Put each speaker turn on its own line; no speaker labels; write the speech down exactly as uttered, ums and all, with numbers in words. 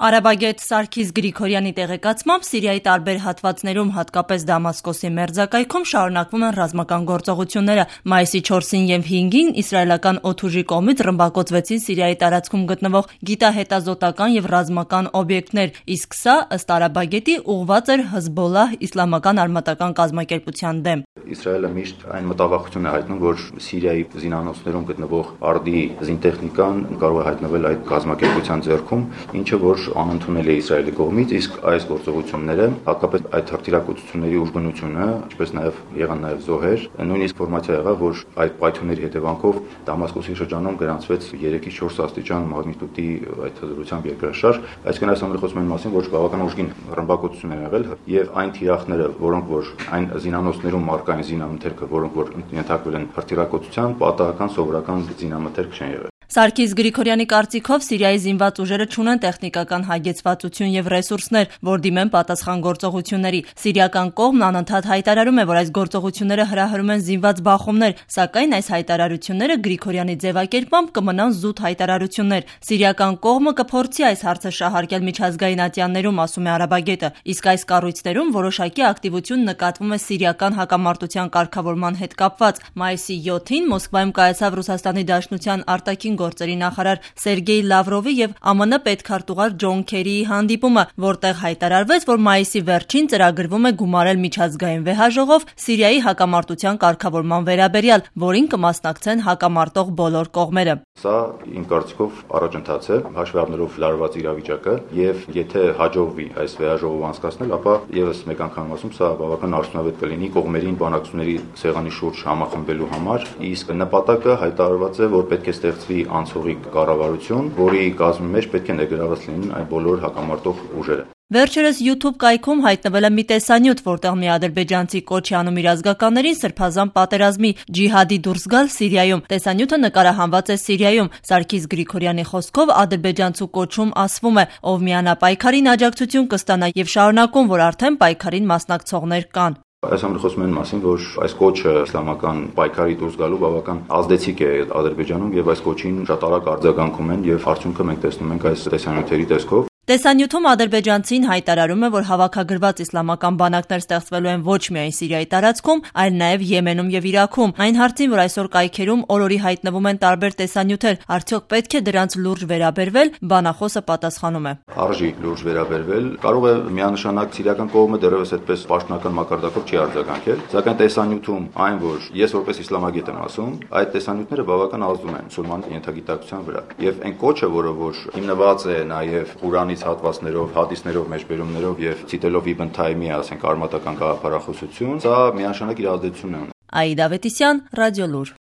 Արաբագետ Սարգիս Գրիգորյանի տեղեկացմամբ Սիրիայի տարբեր հատվածներում, հատկապես Դամասկոսի մերձակայքում շարունակվում են ռազմական գործողությունները։ Մայիսի չորսին և հինգին իսրայելական օդուժի կողմից ռմբակոծվեցին Սիրիայի տարածքում գտնվող գիտահետազոտական և ռազմական օբյեկտներ, իսկ սա, ըստ արաբագետի, ուղղված էր Հզբոլլահ իսլամական արմատական կազմակերպության դեմ։
Իսրայելը միշտ այն մտավախություն է հայտնում, որ Սիրիայի զինանոցներում գտնվող արդի զինտեխնիկան կարող է հայտնվել այդ կազմակերպության ձեռքում, ինչը որ անընդունել է Իսրայելի կողմից, իսկ այս գործողությունները, հատկապես այդ հրթիռակոծությունների ուժգնությունը, ինչպես նաև եղան նաև զոհեր, նույնիսկ ինֆորմացիա եղավ, որ այդ պայթյունների հետևանքով Դամասկոսի շրջանում գրանցվեց երեքից չորս աստիճան մագնիտուդի այդ հզորությամբ երկրաշարժ, այսինքն այս ամենը խոսում են մասին, որ բավական ուժգին ռմբակոծություն է եղել, եւ այն թիրախները, որոնք որ այն զինանոցներում մարկա այն զինամթերքը, որոնք որ ենթարկվել են հրթիռակոծության, պատահական սովորական զինամթերք չեն եղել։
Սարգիս Գրիգորյանի կարծիքով Սիրիայի զինված ուժերը չունեն տեխնիկական հագեցվածություն և ռեսուրսներ, որ դիմեն պատասխան գործողությունների։ Սիրիական կողմն անընդհատ հայտարարում է, որ այս գործողությունները հրահրում են զինված բախումներ, սակայն այս հայտարարությունները Գրիգորյանի ձևակերպմամբ կմնան զուտ հայտարարություններ։ Սիրիական կողմը կփորձի այս հարցը շահարկել միջազգային ատյաններում, ասում է արաբագետը, իսկ այս կառույցներում որոշակի ակտիվություն նկատվում է սիրիական հակամարտության կարգավորման հետ կապված։ Մայիսի յոթին Մոսկվայում կայացավ Ռուսաստանի Դաշնության արտաքին գործերի նախարար Սերգեյ Լավրովի և ԱՄՆ պետքարտուղար Ջոն Քերիի հանդիպումը, որտեղ հայտարարվեց, որ մայիսի վերջին ծրագրվում է գումարել միջազգային վեհաժողով Սիրիայի հակամարտության կարգավորման վերաբերյալ, որին կմասնակցեն հակամարտող բոլոր կողմերը։
Սա իմ կարծիքով առաջընթաց է, հաշվի առնելով լարված իրավիճակը, եւ եթե հաջողվի այս վեհաժողովը անցկացնել, ապա եւս մեկ անգամ ասում, սա բավական արդյունավետ կլինի կողմերին բանակցությունների սեղանի շուրջ համախմբելու համար, իսկ նպատակը հայտարարված է, որ պետք է ստեղծվի անցողիկ կառավարություն, որի կազմի մեջ պետք է ներգրաված լինեն այն բոլոր հակամարտող ուժերը։
Վերջերս YouTube կայքում հայտնվել է մի տեսանյութ, որտեղ մի ադրբեջանցի կոչ է անում իր ազգականներին սրբազան պատերազմի ջիհադի դուրս գալ Սիրիայում։ Տեսանյութը նկարահանված է Սիրիայում։ Սարգիս Գրիգորյանի խոսքով ադրբեջանցու կոչում ասվում է, ով միանա պայքարին աջակցություն կստանա եւ շարունակում, որ արդեն պայքարին մասնակցողներ կան։
Այս ամենը խոսում են մասին, որ այս կոչը իսլամական պայքարի դուրս գալու բավական ազդեցիկ է Ադրբեջանում եւ այս կոչին շատ արագ արձագանքում են եւ արդյունքը մենք տեսնում ենք այս տեսանյութերի տեսքով։
Տեսանյութում ադրբեջանցին հայտարարում է, որ հավաքագրված իսլամական բանակներ ստեղծվելու են ոչ միայն Սիրիայի տարածքում, այլ նաև Եմենում եւ Իրաքում։ Այն հարցին, որ այսօր կայքերում օրորի հայտնվում են տարբեր տեսանյութեր, արդյոք պետք է դրանց լուրջ վերաբերվել, բանախոսը պատասխանում է.
Արժի լուրջ վերաբերվել, կարող է միանշանակ սիրիական կողմը դեռևս այդպես պաշտոնական մակարդակով չի արձագանքել, սակայն տեսանյութում այն, որ ես որպես իսլամագետ եմ ասում, այդ տեսանյութները բավական ազդում են մուսուլման ենթագիտակցության վրա։ Եվ այն կոչը, որը որ հիմնված է նաև Ղուրանի հատվածներով, հադիսներով, մեջբերումներով եւ ցիտելով Իբն Թայմիա, ասենք արմատական գաղափարախոսություն, սա միանշանակ իր ազդեցությունն է ունենում։
Աիդա Ավետիսյան, Ռադիոլուր։